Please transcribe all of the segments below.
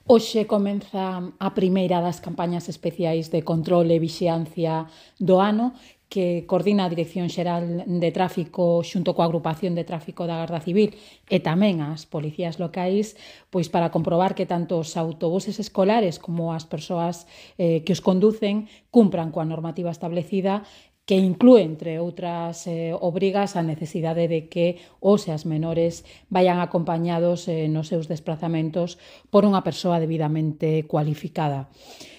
Hoxe comeza a primeira das campañas especiais de control e vixiancia do ano que coordina a Dirección Xeral de Tráfico xunto coa Agrupación de Tráfico da Garda Civil e tamén as policías locais, pois para comprobar que tanto os autobuses escolares como as persoas que os conducen cumpran coa normativa establecida, que inclúe, entre outras obrigas, a necesidade de que os e as menores vayan acompañados nos seus desplazamentos por unha persoa debidamente cualificada.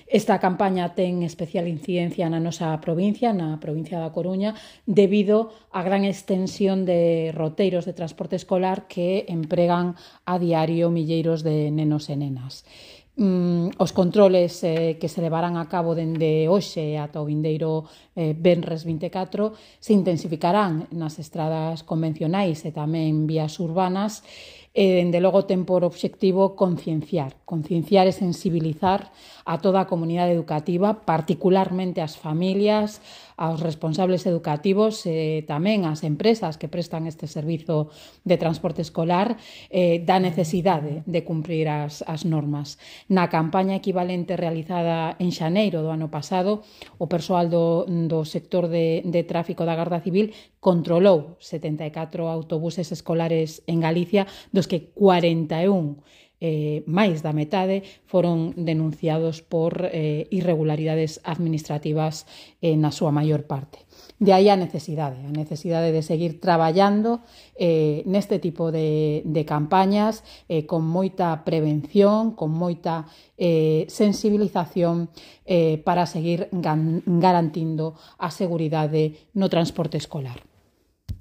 Esta campaña ten especial incidencia na nosa provincia, na provincia da Coruña, debido á gran extensión de roteiros de transporte escolar que empregan a diario milleiros de nenos e nenas. Os controles que se levarán a cabo dende hoxe ata o vindeiro venres 24 se intensificarán nas estradas convencionais e tamén vías urbanas e, dende logo, ten por obxectivo concienciar e sensibilizar a toda a comunidade educativa, particularmente as familias, aos responsables educativos e tamén ás empresas que prestan este servizo de transporte escolar da necesidade de cumprir as normas. Na campaña equivalente realizada en xaneiro do ano pasado, o persoal do sector de tráfico da Garda Civil controlou 74 autobuses escolares en Galicia, dos que 41, máis da metade, foron denunciados por irregularidades administrativas na súa maior parte. De aí a necesidade de seguir traballando neste tipo de campañas con moita prevención, con moita sensibilización para seguir garantindo a seguridade no transporte escolar.